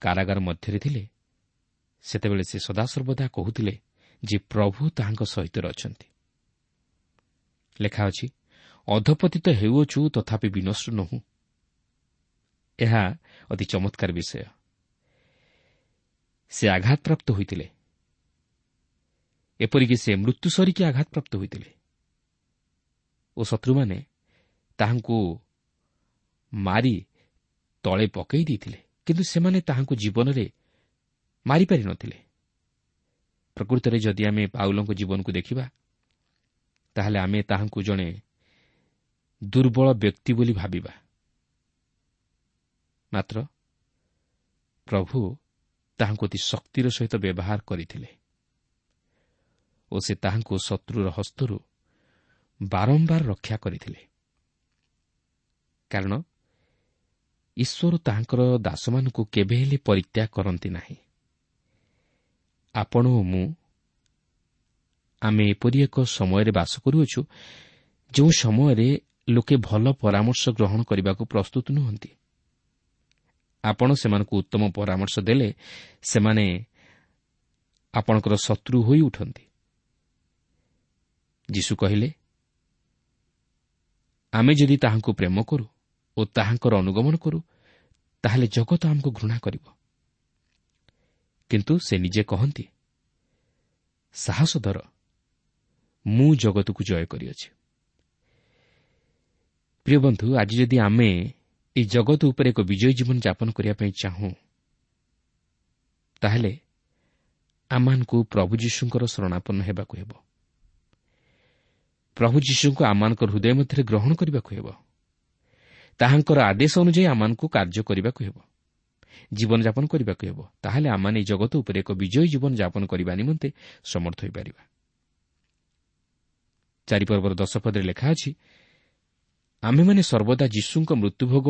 କାରାଗାର ମଧ୍ୟରେ ଥିଲେ, ସେତେବେଳେ ସେ ସଦାସର୍ବଦା କହୁଥିଲେ ଯେ ପ୍ରଭୁ ତାହାଙ୍କ ସହିତ ଅଛନ୍ତି। ଲେଖା ଅଛି, ଅଧପତିତ ହେଉଅଛୁ ତଥାପି ବିନଷ୍ଟ ନୋହୁଁ। ଏହା ଅତି ଚମତ୍କାର ବିଷୟ। ସେ ଆଘାତପ୍ରାପ୍ତ ହୋଇଥିଲେ, ଏପରିକି ସେ ମୃତ୍ୟୁ ସରିକି ଆଘାତପ୍ରାପ୍ତ ହୋଇଥିଲେ ଓ ଶତ୍ରୁମାନେ ତାହାଙ୍କୁ ମାରି ତଳେ ପକାଇ ଦେଇଥିଲେ, କିନ୍ତୁ ସେମାନେ ତାହାଙ୍କୁ ଜୀବନରେ ମାରିପାରିନଥିଲେ। ପ୍ରକୃତରେ ଯଦି ଆମେ ପାଉଲଙ୍କ ଜୀବନକୁ ଦେଖିବା, ତାହେଲେ ଆମେ ତାହାଙ୍କୁ ଜଣେ ଦୁର୍ବଳ ବ୍ୟକ୍ତି ବୋଲି ଭାବିବା। ମାତ୍ର ପ୍ରଭୁ ତାହାଙ୍କୁ ଅତି ଶକ୍ତିର ସହିତ ବ୍ୟବହାର କରିଥିଲେ ଓ ସେ ତାହାଙ୍କୁ ଶତ୍ରୁର ହସ୍ତରୁ ବାରମ୍ବାର ରକ୍ଷା କରିଥିଲେ, କାରଣ ଈଶ୍ୱର ତାହାଙ୍କର ଦାସମାନଙ୍କୁ କେବେ ହେଲେ ପରିତ୍ୟାଗ କରନ୍ତି ନାହିଁ। ଆପଣ ଓ ମୁଁ ଆମେ ଏପରି ଏକ ସମୟରେ ବାସ କରୁଅଛୁ, ଯେଉଁ ସମୟରେ ଲୋକେ ଭଲ ପରାମର୍ଶ ଗ୍ରହଣ କରିବାକୁ ପ୍ରସ୍ତୁତ ନୁହନ୍ତି। ଆପଣ ସେମାନଙ୍କୁ ଉତ୍ତମ ପରାମର୍ଶ ଦେଲେ ସେମାନେ ଆପଣଙ୍କର ଶତ୍ରୁ ହୋଇ ଉଠନ୍ତି। ଯୀଶୁ କହିଲେ, ଆମେ ଯଦି ତାହାଙ୍କୁ ପ୍ରେମ କରୁ ଓ ତାହାଙ୍କର ଅନୁଗମନ କରୁ, ତାହେଲେ ଜଗତ ଆମକୁ ଘୃଣା କରିବ। କିନ୍ତୁ ସେ ନିଜେ କହନ୍ତି, ସାହସ ଧର, ମୁଁ ଜଗତକୁ ଜୟ କରିଅଛି। ପ୍ରିୟ ବନ୍ଧୁ, ଆଜି ଯଦି ଆମେ ଏହି ଜଗତ ଉପରେ ଏକ ବିଜୟୀ ଜୀବନ ଯାପନ କରିବା ପାଇଁ ଚାହୁଁ, ତାହେଲେ ଆମମାନଙ୍କୁ ପ୍ରଭୁ ଯୀଶୁଙ୍କର ଶରଣାପନ୍ନ ହେବାକୁ ହେବ। ପ୍ରଭୁ ଯୀଶୁଙ୍କୁ ଆମମାନଙ୍କ ହୃଦୟ ମଧ୍ୟରେ ଗ୍ରହଣ କରିବାକୁ ହେବ। ତାହାଙ୍କର ଆଦେଶ ଅନୁଯାୟୀ ଆମମାନଙ୍କୁ କାର୍ଯ୍ୟ କରିବାକୁ ହେବ, ଜୀବନଯାପନ କରିବାକୁ ହେବ। ତାହେଲେ ଆମମାନେ ଏହି ଜଗତ ଉପରେ ଏକ ବିଜୟୀ ଜୀବନ ଯାପନ କରିବା ନିମନ୍ତେ ସମର୍ଥ ହୋଇପାରିବା। 4 ପର୍ବର 10 ପଦରେ ଲେଖା ଅଛି, ଆମ୍ଭେମାନେ ସର୍ବଦା ଯୀଶୁଙ୍କ ମୃତ୍ୟୁଭୋଗ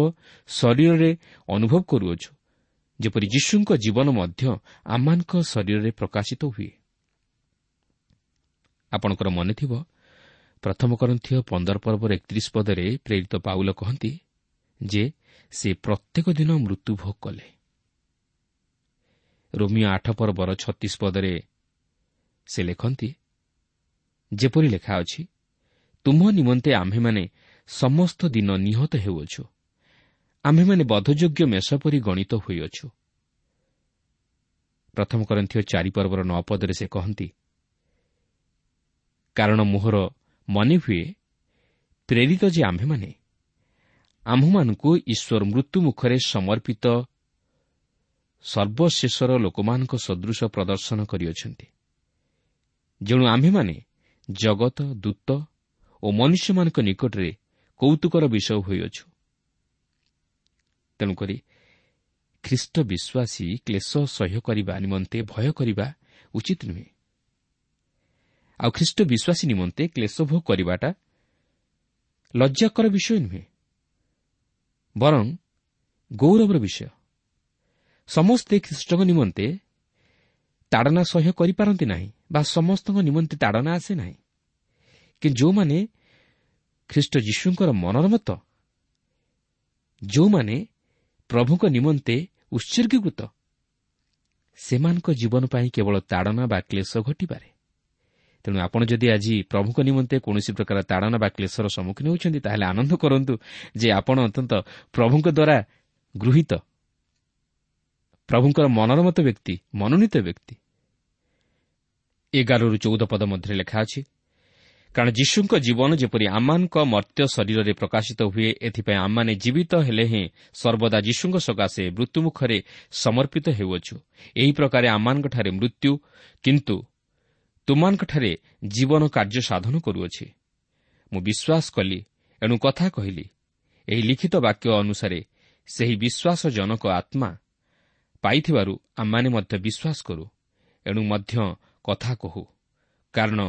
ଶରୀରରେ ଅନୁଭବ କରୁଅଛୁ, ଯେପରି ଯୀଶୁଙ୍କ ଜୀବନ ମଧ୍ୟ ଆମମାନଙ୍କ ଶରୀରରେ ପ୍ରକାଶିତ ହୁଏ। ଆପଣଙ୍କର ମନେଥିବ, ପ୍ରଥମ କରିନ୍ଥୀୟ 15 ପର୍ବର 31 ପଦରେ ପ୍ରେରିତ ପାଉଲ କହନ୍ତି ଯେ ସେ ପ୍ରତ୍ୟେକ ଦିନ ମୃତ୍ୟୁଭୋଗ କଲେ। ରୋମିଓ 8 ପର୍ବର 36 ପଦରେ ସେ ଲେଖନ୍ତି, ଯେପରି ଲେଖା ଅଛି, ତୁମ୍ଭ ନିମନ୍ତେ ଆମ୍ଭେମାନେ ସମସ୍ତ ଦିନ ନିହତ ହେଉଅଛୁ, ଆମ୍ଭେମାନେ ବଧଯୋଗ୍ୟ ମେଷ ପରି ଗଣିତ ହୋଇଅଛୁ। ପ୍ରଥମ କରିନ୍ଥୀୟ 4 ପର୍ବର 9 ପଦରେ ସେ କହନ୍ତି, କାରଣ ମୋହର ମନେ ହୁଏ ପ୍ରେରିତ ଯେ ଆମ୍ଭେମାନେ ଆମ୍ଭମାନଙ୍କୁ ଈଶ୍ୱର ମୃତ୍ୟୁ ମୁଖରେ ସମର୍ପିତ ସର୍ବଶେଷର ଲୋକମାନଙ୍କ ସଦୃଶ ପ୍ରଦର୍ଶନ କରିଅଛନ୍ତି। ଯେଣୁ ଆମ୍ଭେମାନେ ଜଗତ, ଦୂତ ଓ ମନୁଷ୍ୟମାନଙ୍କ ନିକଟରେ କୌତୁକର ବିଷୟ ହୋଇଅଛୁ। ତେଣୁକରି ଖ୍ରୀଷ୍ଟ ବିଶ୍ୱାସୀ କ୍ଲେଶ ସହ୍ୟ କରିବା ନିମନ୍ତେ ଭୟ କରିବା ଉଚିତ ନୁହେଁ। ଆଉ ଖ୍ରୀଷ୍ଟ ବିଶ୍ୱାସୀ ନିମନ୍ତେ କ୍ଲେଶ ଭୋଗ କରିବାଟା ଲଜ୍ଜାକର ବିଷୟ ନୁହେଁ, ବରଂ ଗୌରବର ବିଷୟ। ସମସ୍ତେ ଖ୍ରୀଷ୍ଟଙ୍କ ନିମନ୍ତେ ତାଡ଼ନା ସହ୍ୟ କରିପାରନ୍ତି ନାହିଁ ବା ସମସ୍ତଙ୍କ ନିମନ୍ତେ ତାଡ଼ନା ଆସେ ନାହିଁ, କିନ୍ତୁ ଯେଉଁମାନେ ଖ୍ରୀଷ୍ଟ ଯୀଶୁଙ୍କର ମନୋରମତ, ଯେଉଁମାନେ ପ୍ରଭୁଙ୍କ ନିମନ୍ତେ ଉତ୍ସର୍ଗୀକୃତ, ସେମାନଙ୍କ ଜୀବନ ପାଇଁ କେବଳ ତାଡ଼ନା ବା କ୍ଲେଶ ଘଟିପାରେ। ତେଣୁ ଆପଣ ଯଦି ଆଜି ପ୍ରଭୁଙ୍କ ନିମନ୍ତେ କୌଣସି ପ୍ରକାର ତାଡ଼ନା ବା କ୍ଲେଶର ସମ୍ମୁଖୀନ ହେଉଛନ୍ତି, ତାହେଲେ ଆନନ୍ଦ କରନ୍ତୁ ଯେ ଆପଣ ଅତ୍ୟନ୍ତ ପ୍ରଭୁଙ୍କ ଦ୍ୱାରା ଗୃହୀତ, ପ୍ରଭୁଙ୍କର ମନୋରମତ ବ୍ୟକ୍ତି, ମନୋନୀତ ବ୍ୟକ୍ତି। 11ରୁ 14 ପଦ ମଧ୍ୟରେ ଲେଖା ଅଛି, କାରଣ ଯୀଶୁଙ୍କ ଜୀବନ ଯେପରି ଆମମାନଙ୍କ ମର୍ତ୍ତ୍ୟ ଶରୀରରେ ପ୍ରକାଶିତ ହୁଏ, ଏଥିପାଇଁ ଆମମାନେ ଜୀବିତ ହେଲେ ହେଁ ସର୍ବଦା ଯୀଶୁଙ୍କ ସକାଶେ ମୃତ୍ୟୁମୁଖରେ ସମର୍ପିତ ହେଉଅଛୁ। ଏହି ପ୍ରକାରେ ଆମମାନଙ୍କଠାରେ ମୃତ୍ୟୁ, କିନ୍ତୁ ତୁମମାନଙ୍କଠାରେ ଜୀବନ କାର୍ଯ୍ୟ ସାଧନ କରୁଅଛି। ମୁଁ ବିଶ୍ୱାସ କଲି, ଏଣୁ କଥା କହିଲି। ଏହି ଲିଖିତ ବାକ୍ୟ ଅନୁସାରେ ସେହି ବିଶ୍ୱାସଜନକ ଆତ୍ମା ପାଇଥିବାରୁ ଆମମାନେ ମଧ୍ୟ ବିଶ୍ୱାସ କରୁ, ଏଣୁ ମଧ୍ୟ କଥା କହୁ। କାରଣ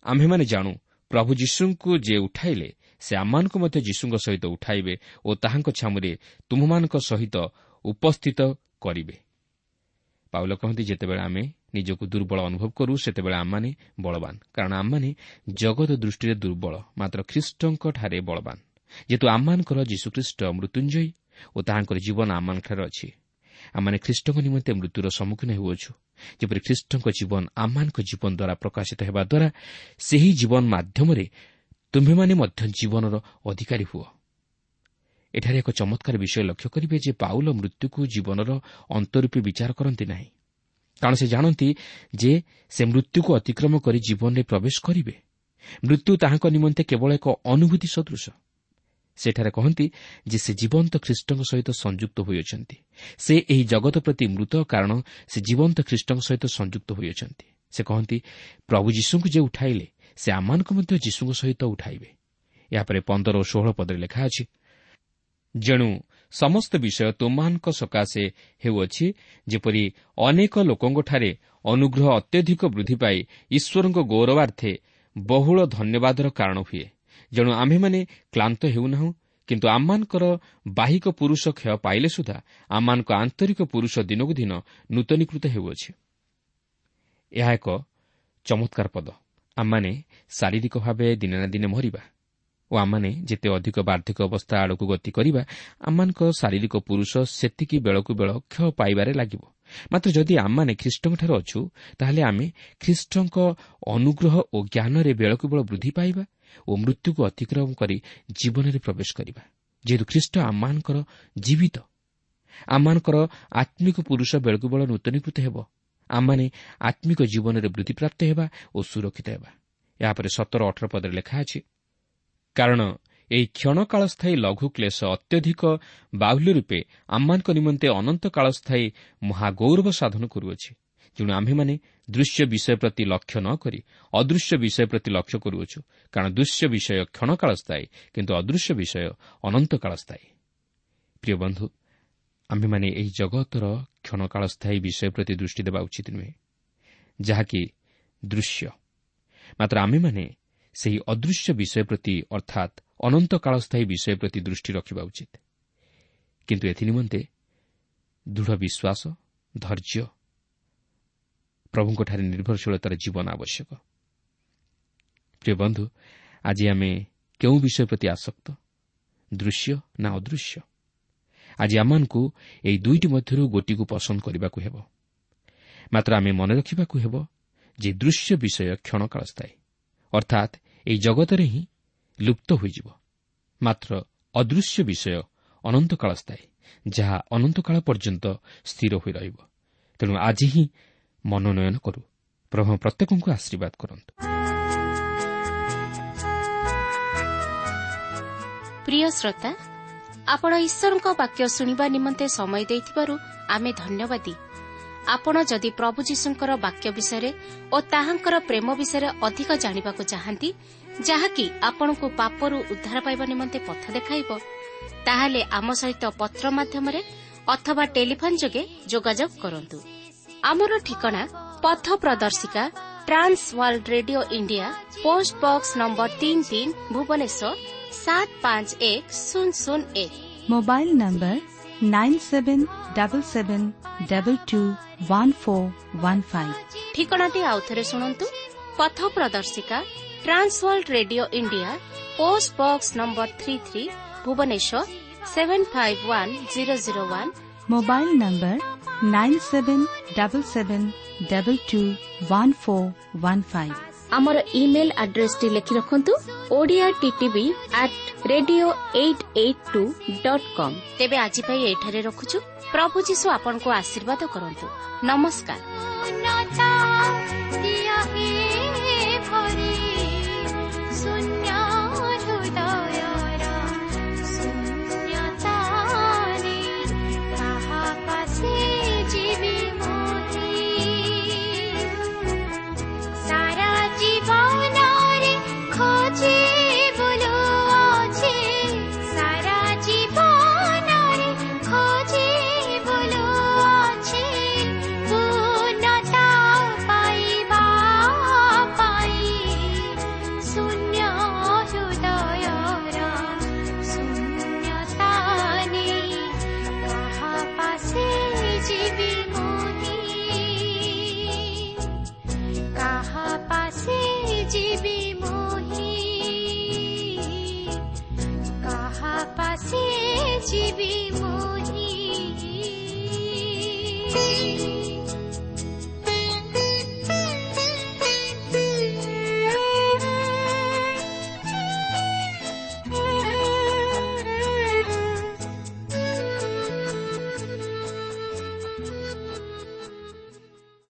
ଆମ୍ଭେମାନେ ଜାଣୁ, ପ୍ରଭୁ ଯୀଶୁଙ୍କୁ ଯେ ଉଠାଇଲେ, ସେ ଆମମାନଙ୍କୁ ମଧ୍ୟ ଯୀଶୁଙ୍କ ସହିତ ଉଠାଇବେ ଓ ତାହାଙ୍କ ଛାମୁରେ ତୁମ୍ଭମାନଙ୍କ ସହିତ ଉପସ୍ଥିତ କରିବେ। ପାଉଲ କହନ୍ତି, ଯେତେବେଳେ ଆମେ ନିଜକୁ ଦୁର୍ବଳ ଅନୁଭବ କରୁ, ସେତେବେଳେ ଆମମାନେ ବଳବାନ, କାରଣ ଆମମାନେ ଜଗତ ଦୃଷ୍ଟିରେ ଦୁର୍ବଳ, ମାତ୍ର ଖ୍ରୀଷ୍ଟଙ୍କଠାରେ ବଳବାନ। ଯେହେତୁ ଆମମାନଙ୍କର ଯୀଶୁଖ୍ରୀଷ୍ଟ ମୃତ୍ୟୁଞ୍ଜୟୀ ଓ ତାହାଙ୍କର ଜୀବନ ଆମମାନଙ୍କଠାରେ ଅଛି, ଆମମାନେ ଖ୍ରୀଷ୍ଟଙ୍କ ନିମନ୍ତେ ମୃତ୍ୟୁର ସମ୍ମୁଖୀନ ହେଉଅଛୁ, ଯେପରି ଖ୍ରୀଷ୍ଟଙ୍କ ଜୀବନ ଆମମାନଙ୍କ ଜୀବନ ଦ୍ୱାରା ପ୍ରକାଶିତ ହେବା ଦ୍ୱାରା ସେହି ଜୀବନ ମାଧ୍ୟମରେ ତୁମ୍ଭେମାନେ ମଧ୍ୟ ଜୀବନର ଅଧିକାରୀ ହୁଅ। ଏଠାରେ ଏକ ଚମତ୍କାର ବିଷୟ ଲକ୍ଷ୍ୟ କରିବେ ଯେ ପାଉଲ ମୃତ୍ୟୁକୁ ଜୀବନର ଅନ୍ତରୂପୀ ବିଚାର କରନ୍ତି ନାହିଁ, କାରଣ ସେ ଜାଣନ୍ତି ଯେ ସେ ମୃତ୍ୟୁକୁ ଅତିକ୍ରମ କରି ଜୀବନରେ ପ୍ରବେଶ କରିବେ। ମୃତ୍ୟୁ ତାହାଙ୍କ ନିମନ୍ତେ କେବଳ ଏକ ଅନୁଭୂତି ସଦୃଶ। ସେଠାରେ କହନ୍ତି ଯେ ସେ ଜୀବନ୍ତ ଖ୍ରୀଷ୍ଟଙ୍କ ସହିତ ସଂଯୁକ୍ତ ହୋଇଅଛନ୍ତି। ସେ ଏହି ଜଗତ ପ୍ରତି ମୃତ, କାରଣ ସେ ଜୀବନ୍ତ ଖ୍ରୀଷ୍ଟଙ୍କ ସହିତ ସଂଯୁକ୍ତ ହୋଇଅଛନ୍ତି। ସେ କହନ୍ତି, ପ୍ରଭୁ ଯୀଶୁଙ୍କୁ ଯେ ଉଠାଇଲେ, ସେ ଆମମାନଙ୍କୁ ମଧ୍ୟ ଯୀଶୁଙ୍କ ସହିତ ଉଠାଇବେ। ଏହାପରେ 15 ଓ 16 ପଦରେ ଲେଖା ଅଛି, ଯେଣୁ ସମସ୍ତ ବିଷୟ ତୁମମାନଙ୍କ ସକାଶେ ହେଉଅଛି, ଯେପରି ଅନେକ ଲୋକଙ୍କଠାରେ ଅନୁଗ୍ରହ ଅତ୍ୟଧିକ ବୃଦ୍ଧି ପାଇ ଈଶ୍ୱରଙ୍କ ଗୌରବାର୍ଥେ ବହୁଳ ଧନ୍ୟବାଦର କାରଣ ହୁଏ। ଯେଣୁ ଆମ୍ଭେମାନେ କ୍ଳାନ୍ତ ହେଉନାହୁଁ, କିନ୍ତୁ ଆମମାନଙ୍କର ବାହିକ ପୁରୁଷ କ୍ଷୟ ପାଇଲେ ସୁଦ୍ଧା ଆମମାନଙ୍କ ଆନ୍ତରିକ ପୁରୁଷ ଦିନକୁ ଦିନ ନୂତନୀକୃତ ହେଉଅଛି। ଏହା ଏକ ଚମତ୍କାର ପଦ। ଆମମାନେ ଶାରୀରିକ ଭାବେ ଦିନେ ନା ଦିନେ ମରିବା ଓ ଆମମାନେ ଯେତେ ଅଧିକ ବାର୍ଦ୍ଧକ୍ୟ ଅବସ୍ଥା ଆଡ଼କୁ ଗତି କରିବା, ଆମମାନଙ୍କ ଶାରୀରିକ ପୁରୁଷ ସେତିକି ବେଳକୁ ବେଳ କ୍ଷୟ ପାଇବାରେ ଲାଗିବ। ମାତ୍ର ଯଦି ଆମମାନେ ଖ୍ରୀଷ୍ଟଙ୍କଠାରେ ଅଛୁ, ତାହେଲେ ଆମେ ଖ୍ରୀଷ୍ଟଙ୍କ ଅନୁଗ୍ରହ ଓ ଜ୍ଞାନରେ ବେଳକୁ ବେଳ ବୃଦ୍ଧି ପାଇବା ଓ ମୃତ୍ୟୁକୁ ଅତିକ୍ରମ କରି ଜୀବନରେ ପ୍ରବେଶ କରିବା। ଯେହେତୁ ଖ୍ରୀଷ୍ଟ ଆମମାନଙ୍କର ଜୀବିତ, ଆମମାନଙ୍କର ଆତ୍ମିକ ପୁରୁଷ ବେଳକୁ ବେଳ ନୂତନୀକୃତ ହେବ। ଆମମାନେ ଆତ୍ମିକ ଜୀବନରେ ବୃଦ୍ଧିପ୍ରାପ୍ତ ହେବା ଓ ସୁରକ୍ଷିତ ହେବା। ଏହାପରେ 17 18 ପଦରେ ଲେଖା ଅଛି, କାରଣ ଏହି କ୍ଷଣକାଳସ୍ଥାୟୀ ଲଘୁ କ୍ଲେଶ ଅତ୍ୟଧିକ ବାହୁଲ୍ୟ ରୂପେ ଆମମାନଙ୍କ ନିମନ୍ତେ ଅନନ୍ତ କାଳସ୍ଥାୟୀ ମହାଗୌରବ ସାଧନ କରୁଅଛି। ତେଣୁ ଆମ୍ଭେମାନେ ଦୃଶ୍ୟ ବିଷୟ ପ୍ରତି ଲକ୍ଷ୍ୟ ନ କରି ଅଦୃଶ୍ୟ ବିଷୟ ପ୍ରତି ଲକ୍ଷ୍ୟ କରୁଅଛୁ, କାରଣ ଦୃଶ୍ୟ ବିଷୟ କ୍ଷଣକାଳସ୍ଥାୟୀ, କିନ୍ତୁ ଅଦୃଶ୍ୟ ବିଷୟ ଅନନ୍ତକାଳସ୍ଥାୟୀ। ପ୍ରିୟ ବନ୍ଧୁ, ଆମ୍ଭେମାନେ ଏହି ଜଗତର କ୍ଷଣକାଳସ୍ଥାୟୀ ବିଷୟ ପ୍ରତି ଦୃଷ୍ଟି ଦେବା ଉଚିତ ନୁହେଁ, ଯାହାକି ଦୃଶ୍ୟ। ମାତ୍ର ଆମ୍ଭେମାନେ ସେହି ଅଦୃଶ୍ୟ ବିଷୟ ପ୍ରତି, ଅର୍ଥାତ୍ ଅନନ୍ତକାଳସ୍ଥାୟୀ ବିଷୟ ପ୍ରତି ଦୃଷ୍ଟି ରଖିବା ଉଚିତ। କିନ୍ତୁ ଏଥିନିମନ୍ତେ ଦୃଢ଼ ବିଶ୍ୱାସ, ଧୈର୍ଯ୍ୟ, ପ୍ରଭୁଙ୍କଠାରେ ନିର୍ଭରଶୀଳତାର ଜୀବନ ଆବଶ୍ୟକ। ପ୍ରିୟ ବନ୍ଧୁ, ଆଜି ଆମେ କେଉଁ ବିଷୟ ପ୍ରତି ଆସକ୍ତ, ଦୃଶ୍ୟ ନା ଅଦୃଶ୍ୟ? ଆଜି ଆମମାନଙ୍କୁ ଏହି ଦୁଇଟି ମଧ୍ୟରୁ ଗୋଟିକୁ ପସନ୍ଦ କରିବାକୁ ହେବ। ମାତ୍ର ଆମେ ମନେ ରଖିବାକୁ ହେବ ଯେ ଦୃଶ୍ୟ ବିଷୟ କ୍ଷଣକାଳସ୍ଥାୟୀ, ଅର୍ଥାତ୍ ଏହି ଜଗତରେ ହିଁ ଲୁପ୍ତ ହୋଇଯିବ। ମାତ୍ର ଅଦୃଶ୍ୟ ବିଷୟ ଅନନ୍ତକାଳସ୍ଥାୟୀ, ଯାହା ଅନନ୍ତକାଳ ପର୍ଯ୍ୟନ୍ତ ସ୍ଥିର ହୋଇ ରହିବ। ତେଣୁ ଆଜି ହିଁ ମନୋନୟନ କରୁ। ପ୍ରଭୁ ପ୍ରତ୍ୟେକଙ୍କୁ ଆଶୀର୍ବାଦ କରନ୍ତୁ। ପ୍ରିୟ ଶ୍ରୋତା, ଆପଣ ଈଶ୍ୱରଙ୍କ ବାକ୍ୟ ଶୁଣିବା ନିମନ୍ତେ ସମୟ ଦେଇଥିବାରୁ ଆମେ ଧନ୍ୟବାଦୀ। ଆପଣ ଯଦି ପ୍ରଭୁ ଯୀଶୁଙ୍କର ବାକ୍ୟ ବିଷୟରେ ଓ ତାହାଙ୍କର ପ୍ରେମ ବିଷୟରେ ଅଧିକ ଜାଣିବାକୁ ଚାହାନ୍ତି, ଯାହାକି ଆପଣଙ୍କୁ ପାପରୁ ଉଦ୍ଧାର ପାଇବା ନିମନ୍ତେ ପଥ ଦେଖାଇବ, ତାହେଲେ ଆମ ସହିତ ପତ୍ର ମାଧ୍ୟମରେ ଅଥବା ଟେଲିଫୋନ୍ ଯୋଗେ ଯୋଗାଯୋଗ କରନ୍ତୁ। ଆମର ଠିକଣା ପଥ ପ୍ରଦର୍ଶିକା, Trans World Radio India, post box number 33, Bhubaneswar 751001। Mobile number 9777221415। ଠିକଣାଟି ଆଉଥରେ ଶୁଣନ୍ତୁ। ପଥ ପ୍ରଦର୍ଶିକା, Trans World Radio India, post box number 33, Bhubaneswar 751001। Mobile number 9777221415। ଆମର ଇମେଲ୍ ଆଡ୍ରେସଟି ଲେଖି ରଖନ୍ତୁ, Odia TTV at radio 882.com। ତେବେ ଆଜି ପାଇଁ ଏଠାରେ ରଖୁଛୁ। ପ୍ରଭୁ ଯୀଶୁ ଆପଣଙ୍କୁ ଆଶୀର୍ବାଦ କରନ୍ତୁ। ନମସ୍କାର। ଶୂନ୍ୟ।